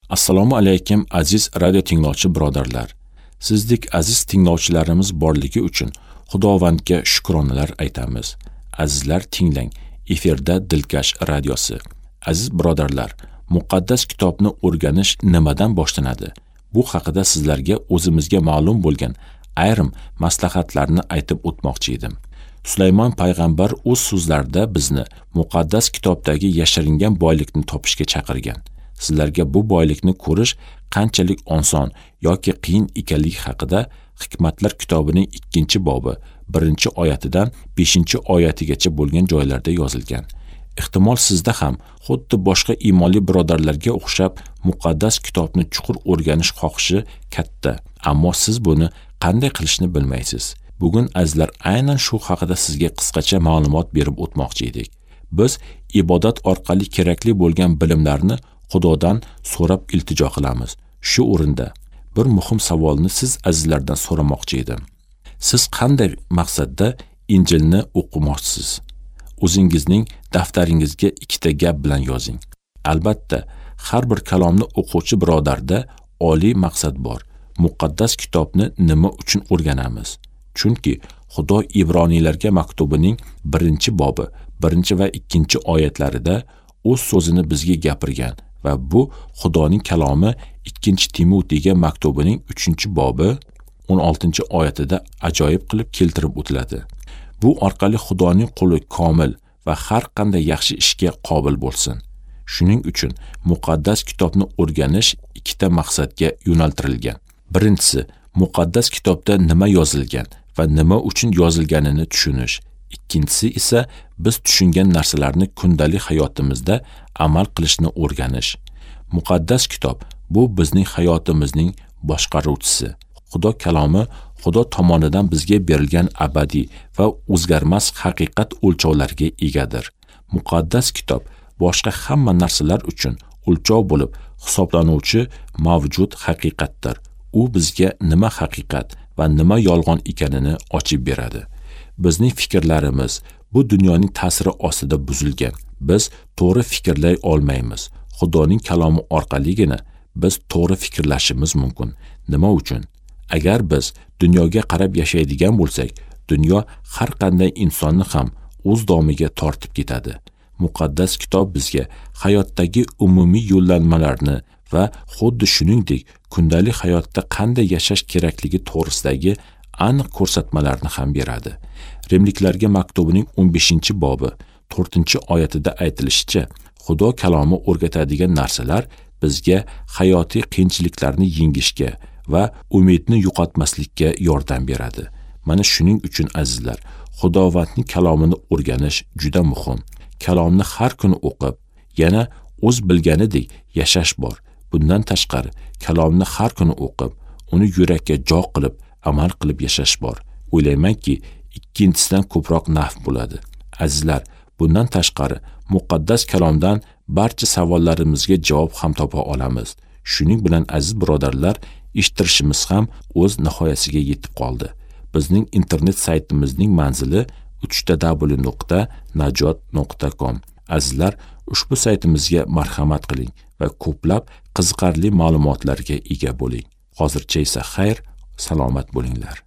Assalomu alaykum aziz radio tinglovchi birodarlar. Sizdek aziz tinglovchilarimiz borligi uchun Xudovandga shukronalar aytamiz. Azizlar tinglang, efirda Dilkash radiosi. Aziz birodarlar, muqaddas kitobni o'rganish nimadan boshlanadi? Bu haqida sizlarga o'zimizga ma'lum bo'lgan ayrim maslahatlarni aytib o'tmoqchi edim. Sulaymon payg'ambar o'z so'zlarida bizni muqaddas kitobdagi yashiringan boylikni topishga chaqirgan. Sizlarga bu boylikni ko'rish qanchalik oson yoki qiyin ekanligi haqida Hikmatlar kitobining 2-bobi 1-oyatidan 5-oyatigacha bo'lgan joylarda yozilgan. Ehtimol sizda ham xuddi boshqa iymonli birodarlarga o'xshab muqaddas kitobni chuqur o'rganish xohishi katta, ammo siz buni qanday qilishni bilmaysiz. Bugun azizlar aynan shu haqida sizga qisqacha ma'lumot berib o'tmoqchi edik. Biz ibodat orqali kerakli bo'lgan bilimlarni Xudodan so'rab iltijo qilamiz. Shu o'rinda bir muhim savolni siz azizlardan so'ramoqchi edim. Siz qanday maqsadda Injilni o'qimoqchisiz? O'zingizning daftaringizga ikkita gap bilan yozing. Albatta, har bir kalomni o'quvchi birodarda oliy maqsad bor. Muqaddas kitobni nima uchun o'rganamiz? Chunki Xudo Ibroniylarga maktubining 1-bobi, 1 va 2 oyatlarida o'z so'zini bizga gapirgan va bu Xudoning kalomi 2-Timotiyga maktubining 3-bobi 16-oyatida ajoyib qilib keltirib o'tiladi. Bu orqali Xudoning quli komil va har qanday yaxshi ishga qobil bo'lsin. Shuning uchun muqaddas kitobni o'rganish ikkita maqsadga yo'naltirilgan. Birinchisi, muqaddas kitobda nima yozilgan va nima uchun yozilganini tushunish. Ikkinchisi esa biz tushungan narsalarni kundalik hayotimizda amal qilishni o'rganish. Muqaddas kitob bu bizning hayotimizning boshqaruvchisi. Xudo kalomi Xudo tomonidan bizga berilgan abadiy va o'zgarmas haqiqat o'lchovlariga egadir. Muqaddas kitob boshqa hamma narsalar uchun o'lchov bo'lib hisoblanuvchi mavjud haqiqatdir. U bizga nima haqiqat va nima yolg'on ekanini ochib beradi. Bizning fikrlarimiz bu dunyoning ta'siri ostida buzilgan. Biz to'g'ri fikrlay olmaymiz. Xudoning kalomi orqaligina biz to'g'ri fikrlashimiz mumkin. Nima uchun? Agar biz dunyoga qarab yashaydigan bo'lsak, dunyo har qanday insonni ham o'z domiga tortib ketadi. Muqaddas kitob bizga hayotdagi umumiy yo'llanmalarni va xuddi shuningdek kundalik hayotda qanday yashash kerakligi to'g'risidagi aniq ko'rsatmalarni ham beradi. Rimliklarga maktubining 15-bobi 4-oyatida aytilishicha, Xudo kalomi o'rgatadigan narsalar bizga hayotiy qiyinchiliklarni yengishga va umidni yo'qotmaslikka yordam beradi. Mana shuning uchun azizlar, Xudovandning kalomini o'rganish juda muhim. Kalomni har kuni o'qib, yana o'z bilganidek yashash bor. Bundan tashqari, kalomni har kuni o'qib, uni yurakka jo qilib, amal qilib yashash bor. O'ylaymanki, ikkinchisidan ko'proq naf bo'ladi. Azizlar, bundan tashqari muqaddas kalomdan barcha savollarimizga javob ham topa olamiz. Shuning bilan aziz birodarlar, eshittirishimiz ham o'z nihoyasiga yetib qoldi. Bizning internet saytimizning manzili www.najot.com. Azizlar, ushbu saytimizga marhamat qiling va ko'plab qiziqarli ma'lumotlarga ega bo'ling. Hozircha esa xayr, salomat bo'linglar.